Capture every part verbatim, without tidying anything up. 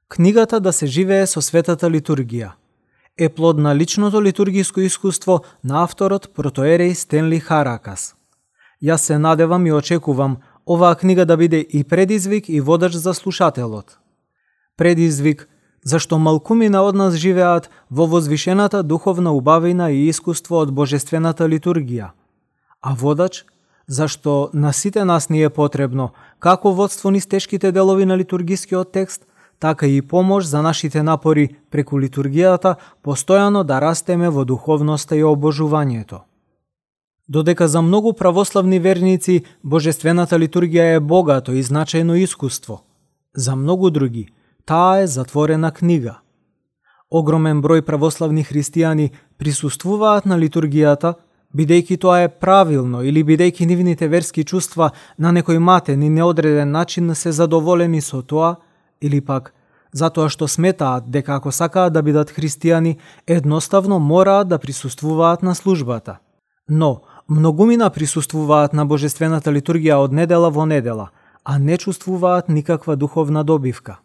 Книгата "Да се живее со светата литургија" е плод на личното литургиско искуство на авторот протоерей Стенли Харакас. Јас се надевам и очекувам оваа книга да биде и предизвик и водач за слушателот. Предизвик зашто малкумина од нас живеат во возвишената духовна убавина и искуство од божествената литургија, а водач зашто на сите нас ни е потребно како водство низ тешките делови на литургискиот текст, така и помош за нашите напори преку литургијата постојано да растеме во духовноста и обожувањето. Додека за многу православни верници божествената литургија е богато и значајно искуство, за многу други таа е затворена книга. Огромен број православни христијани присуствуваат на литургијата, бидејќи тоа е правилно или бидејќи нивните верски чувства на некој матен и неодреден начин се задоволени со тоа, или пак затоа што сметаат дека ако сакаат да бидат христијани, едноставно мораат да присуствуваат на службата. Но многумина присуствуваат на божествената литургија од недела во недела, а не чувствуваат никаква духовна добивка.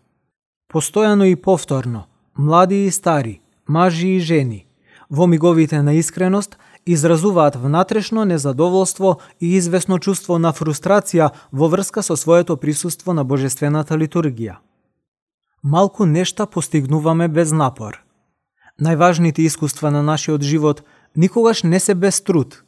Постојано и повторно, млади и стари, мажи и жени, во миговите на искреност, изразуваат внатрешно незадоволство и известно чувство на фрустрација во врска со своето присуство на божествената литургија. Малку нешта постигнуваме без напор. Најважните искуства на нашиот живот никогаш не се без труд.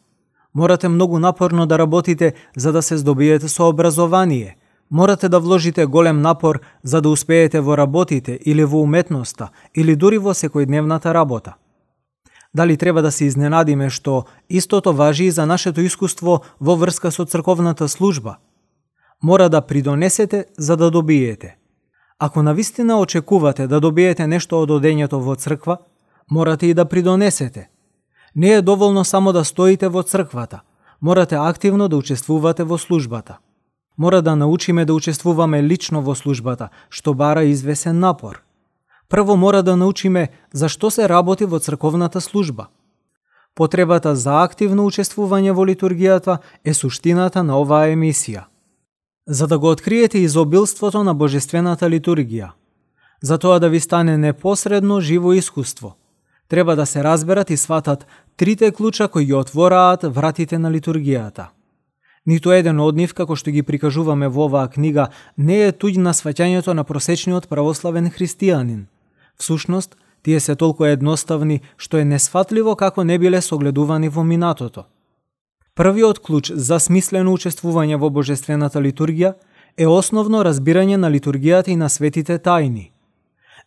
Морате многу напорно да работите за да се здобиете со образование. Морате да вложите голем напор за да успеете во работите или во уметноста или дури во секојдневната работа. Дали треба да се изненадиме што истото важи и за нашето искуство во врска со црковната служба? Мора да придонесете за да добиете. Ако навистина очекувате да добиете нешто од одењето во црква, морате и да придонесете. Не е доволно само да стоите во црквата, морате активно да учествувате во службата. Мора да научиме да учествуваме лично во службата, што бара извесен напор. Прво мора да научиме зашто се работи во црковната служба. Потребата за активно учествување во литургијата е суштината на оваа емисија. За да го откриете изобилството на божествената литургија, за тоа да ви стане непосредно живо искуство, треба да се разберат и сватат трите клуча кои ги отвораат вратите на литургијата. Ниту еден од нив, како што ги прикажуваме во оваа книга, не е туѓ на сваќањето на просечниот православен христијанин. Всушност, тие се толку едноставни, што е несфатливо како не биле согледувани во минатото. Првиот клуч за смислено учествување во божествената литургија е основно разбирање на литургијата и на светите тајни.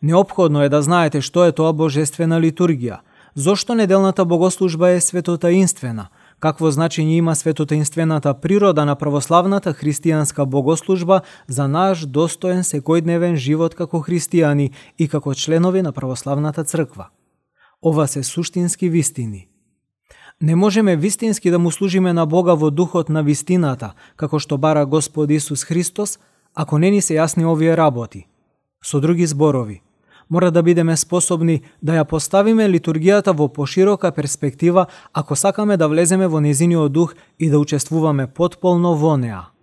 Неопходно е да знаете што е тоа божествена литургија, зошто неделната богослужба е светотаинствена, какво значење има светотаинствената природа на православната христијанска богослужба за наш достоен секојдневен живот како христијани и како членови на православната црква. Ова се суштински вистини. Не можеме вистински да му служиме на Бога во духот на вистината, како што бара Господ Исус Христос, ако не ни се јасни овие работи. Со други зборови, мора да бидеме способни да ја поставиме литургијата во поширока перспектива ако сакаме да влеземе во незиниот дух и да учествуваме потполно во неа.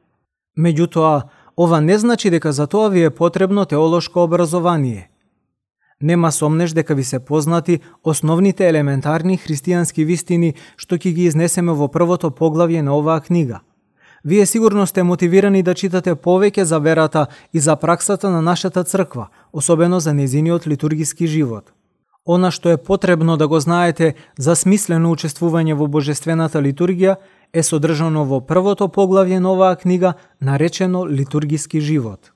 Меѓутоа, ова не значи дека за тоа ви е потребно теолошко образование. Нема сомнеш дека ви се познати основните елементарни христијански вистини што ќе ги изнесеме во првото поглавје на оваа книга. Вие сигурно сте мотивирани да читате повеќе за верата и за праксата на нашата црква, особено за незиниот литургиски живот. Она што е потребно да го знаете за смислено учествување во божествената литургија е содржано во првото поглавје на оваа книга, наречено литургиски живот.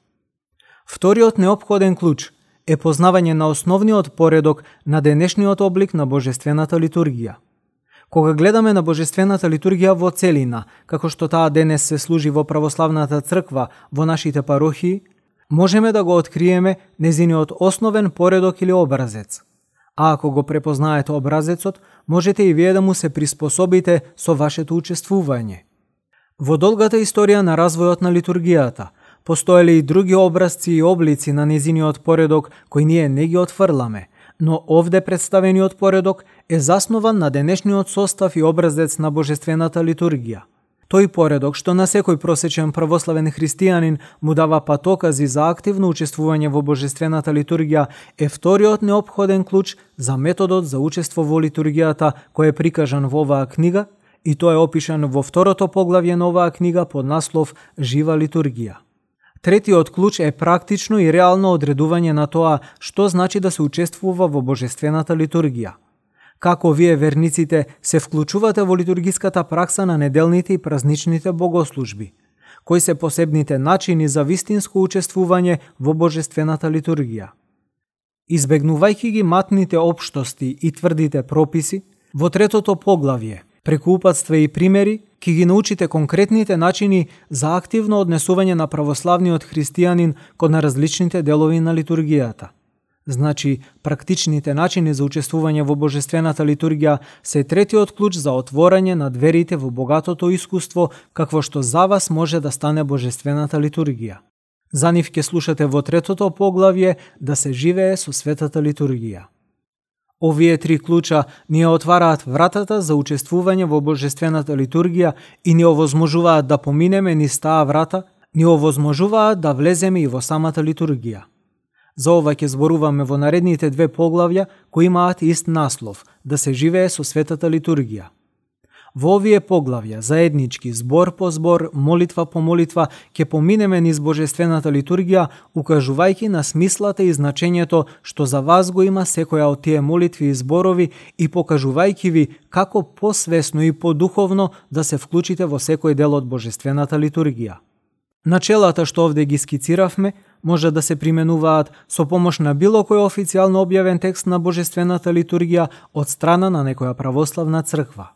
Вториот неопходен клуч е познавање на основниот поредок на денешниот облик на божествената литургија. Кога гледаме на божествената литургија во целина, како што таа денес се служи во православната црква во нашите парохии, можеме да го откриеме незиниот основен поредок или образец. А ако го препознаете образецот, можете и вие да му се приспособите со вашето учествување. Во долгата историја на развојот на литургијата, постоеле и други образци и облици на незиниот поредок кои ние не ги отфрламе, но овде представениот поредок е заснован на денешниот состав и образец на божествената литургија. Тој поредок што на секој просечен православен христијанин му дава патокази за активно учествување во божествената литургија е вториот неопходен клуч за методот за учество во литургијата кој е прикажан во оваа книга, и тоа е опишано во второто поглавје на оваа книга под наслов Жива литургија. Третиот клуч е практично и реално одредување на тоа што значи да се учествува во божествената литургија. Како вие верниците се вклучувате во литургиската пракса на неделните и празничните богослужби? Кои се посебните начини за вистинско учествување во божествената литургија? Избегнувајќи ги матните општости и тврдите прописи, во третото поглавје, преку упатства и примери, ќе ги научите конкретните начини за активно однесување на православниот христијанин кон на различните делови на литургијата. Значи, практичните начини за учествување во божествената литургија се третиот клуч за отворање на дверите во богатото искуство какво што за вас може да стане божествената литургија. За нив ќе слушате во третото поглавје да се живее со светата литургија. Овие три клуча ни отвараат вратата за учествување во божествената литургија и ни овозможуваат да поминеме низ таа врата, ни овозможуваат да влеземе и во самата литургија. За ова ќе зборуваме во наредните две поглавја кои имаат ист наслов – да се живее со светата литургија. Во овие поглавја, заеднички, збор по збор, молитва по молитва, ќе поминеме низ божествената литургија, укажувајќи на смислата и значењето што за вас го има секоја од тие молитви и зборови и покажувајќи ви како посвесно и подуховно да се вклучите во секој дел од божествената литургија. Начелата што овде ги скициравме може да се применуваат со помош на било кој официјално објавен текст на божествената литургија од страна на некоја православна црква.